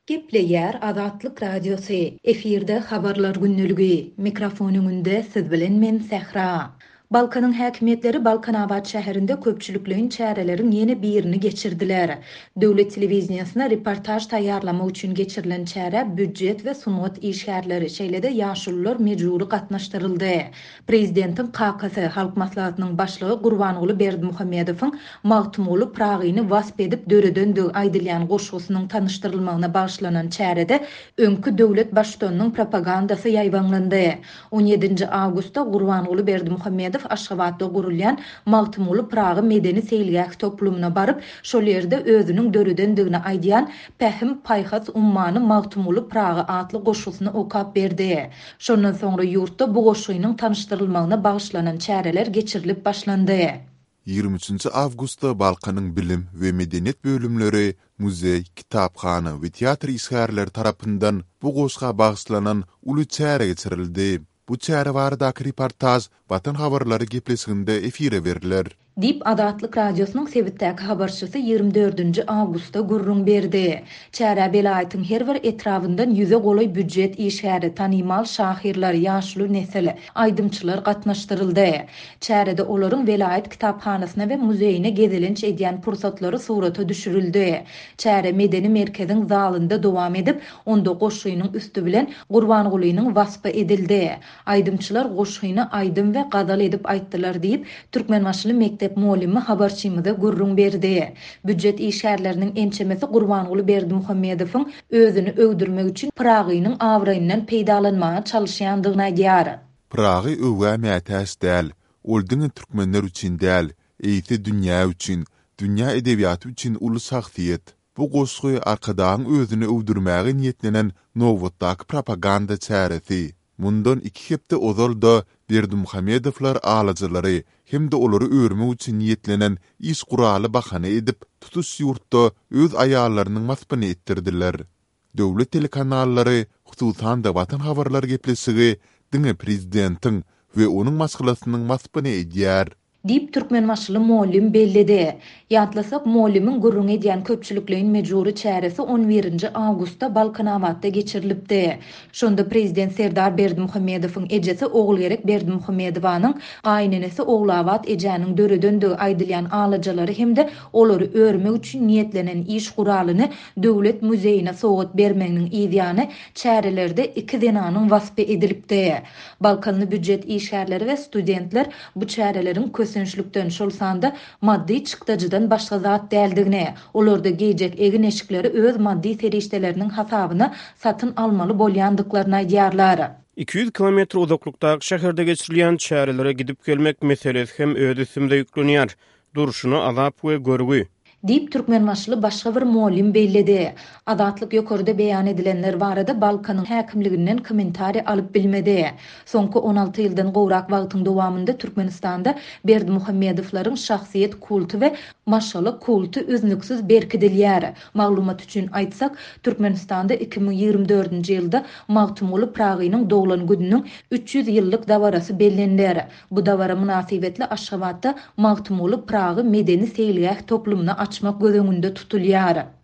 Gepleýär Azatlyk Radiosy, efirde Habarlar gündeligi, mikrofon öňünde siz bilen men Sähra. Balkanyň häkimiýetleri Balkanabat şäherinde köpçülikleýin çäreleriň ýene birini geçirdiler. Döwlet telewideniýesine reportaž taýýarlamak üçin geçirilen çärä býujet we sungat işgärleri, şeýle-de ýaşulular mejbury gatnaşdyryldy. Prezidentiň kakasy, Halk Maslahatynyň Başlygy Gurbanguly Berdimuhamedowyň Magtymguly Pyragyny wasp edip döredendigi aýdylýan goşgusynyň tanyşdyrylmagyna bagyşlanan çärede öňki döwlet Baştutanynyň propagandasy ýaýbaňlandy. On ýedinji awgustda Gurbanguly Berdimuhamedow Aşgabatda gurulýan Magtymguly Pyragy medeni-seýilgäh toplumyna baryp, şol ýerde özüniň döredendigini aýdýan Pähim-paýhas ummany Magtymguly Pyragy atly goşgusyny okap berdi. Şondan soňra ýurtda bu goşgynyň tanyşdyrylmagyna bagyşlanan çäreler geçirilip başlandy. 23 awgustda Balkanyň bilim we medeniýet bölümleri, muzeý, kitaphana we teatr işgärleri tarapyndan bu goşga bagyşlanan uly çäre geçirildi. Bu çäre baradaky reportaž Watan habarlary gepleşiginde efire berler. Diýip, Azatlyk Radiosynyň sebitdäki habarçysy ýigrimi dördünji awgustda gürrüň berdi. Çärä welaýatyň her bir etrabyndan ýüze golaý býujet işgäri, tanymal şahyrlar, ýaşuly nesil, aýdymçylar gatnaşdyryldy. Çärede olaryň welaýat kitaphanasyna we muzeýine gezelenç edýän pursatlary surata düşürildi. Çäre medeni merkeziň zalynda dowam edip, onda goşgynyň üsti bilen Gurbangulynyň waspy edildi. Aýdymçylar goşgyny aýdym we gazal edip aýtdylar diýip, türkmenbaşyly mekdep mugallymy habarçymyza gürrüň berdi. Býujet işgärleriniň ençemesi Gurbanguly Berdimuhamedowyň özüni öwdürmek üçin Pyragynyň abraýyndan peýdalanmaga çalyşýandygyny aýdýar. Pyragy öwgä mätäç däl. Ol diňe türkmenler üçin däl, eýse dünýä üçin, dünýä edebiýaty üçin uly şahsyýet. Bu goşgy Arkadagyň özüni öwdürmäge niýetlenen nobatdaky propaganda çäresi. Mundan iki hepde ozal-da Berdimuhamedowlar alajalary hem-de olary örmek üçin niýetlenen iş guraly bahana edip, tutuş ýurtda öz aýallarynyň waspyny etdirdiler. Döwlet telekanallary, hususan-da Watan habarlary gepleşigi diňe prezidentiň we onuň maşgalasynyň waspyny edýär. Diýip, türkmenbaşyly mugallym belledi. Ýatlasak, mugallymyň gürrüň edýän köpçülikleýin mejbury çäresi on birinji awgustda Balkanabatda geçirilipdi. Şonda prezident Serdar Berdimuhamedowyň ejesi Ogulgerek Berdimuhamedowanyň gaýynenesi Ogulabat ejäniň döredendigi aýdylýan alajalary hem-de olary örmek üçin niýetlenen iş guralyny Döwlet muzeýine sowgat bermeginiň yzýany çärelerde iki zenanyň waspy edilipdi. Balkanly býujet işgärleri we studentler bu çäreleriň kösençlikden, şol sanda maddy çykdajydan başga zat däldigini, olarda geýjek egin-eşikleri öz maddy serişdeleriniň hasabyna satyn almaly bolýandyklaryny aýdýarlar. 200 kilometr uzaklykdaky şäherde geçirilýän çärelere gidip-gelmek meselesi hem öz üstümize ýüklenýär. Durşuna azap we görgi. Diýip, türkmenbaşyly başga bir mugallym belledi. Azatlyk ýokarda beýan edilenler barada Balkanyň häkimliginden kommentariý alyp bilmedi. Soňky 16 ýyldan gowrak wagtyň dowamynda Türkmenistanda Berdimuhamedowlaryň şahsyýet kulty we maşgala kulty üznüksiz berkidilýär. Maglumat üçin aýtsak, Türkmenistanda 2024-nji ýylda Magtymguly Pyragynyň doglan gününiň 300 ýyllyk dabarasy belleniler. Bu dabara mynasybetli Aşgabatda Magtymguly Pyragy medeni-seýilgäh toplumyny açmak göz öňünde tutulýar.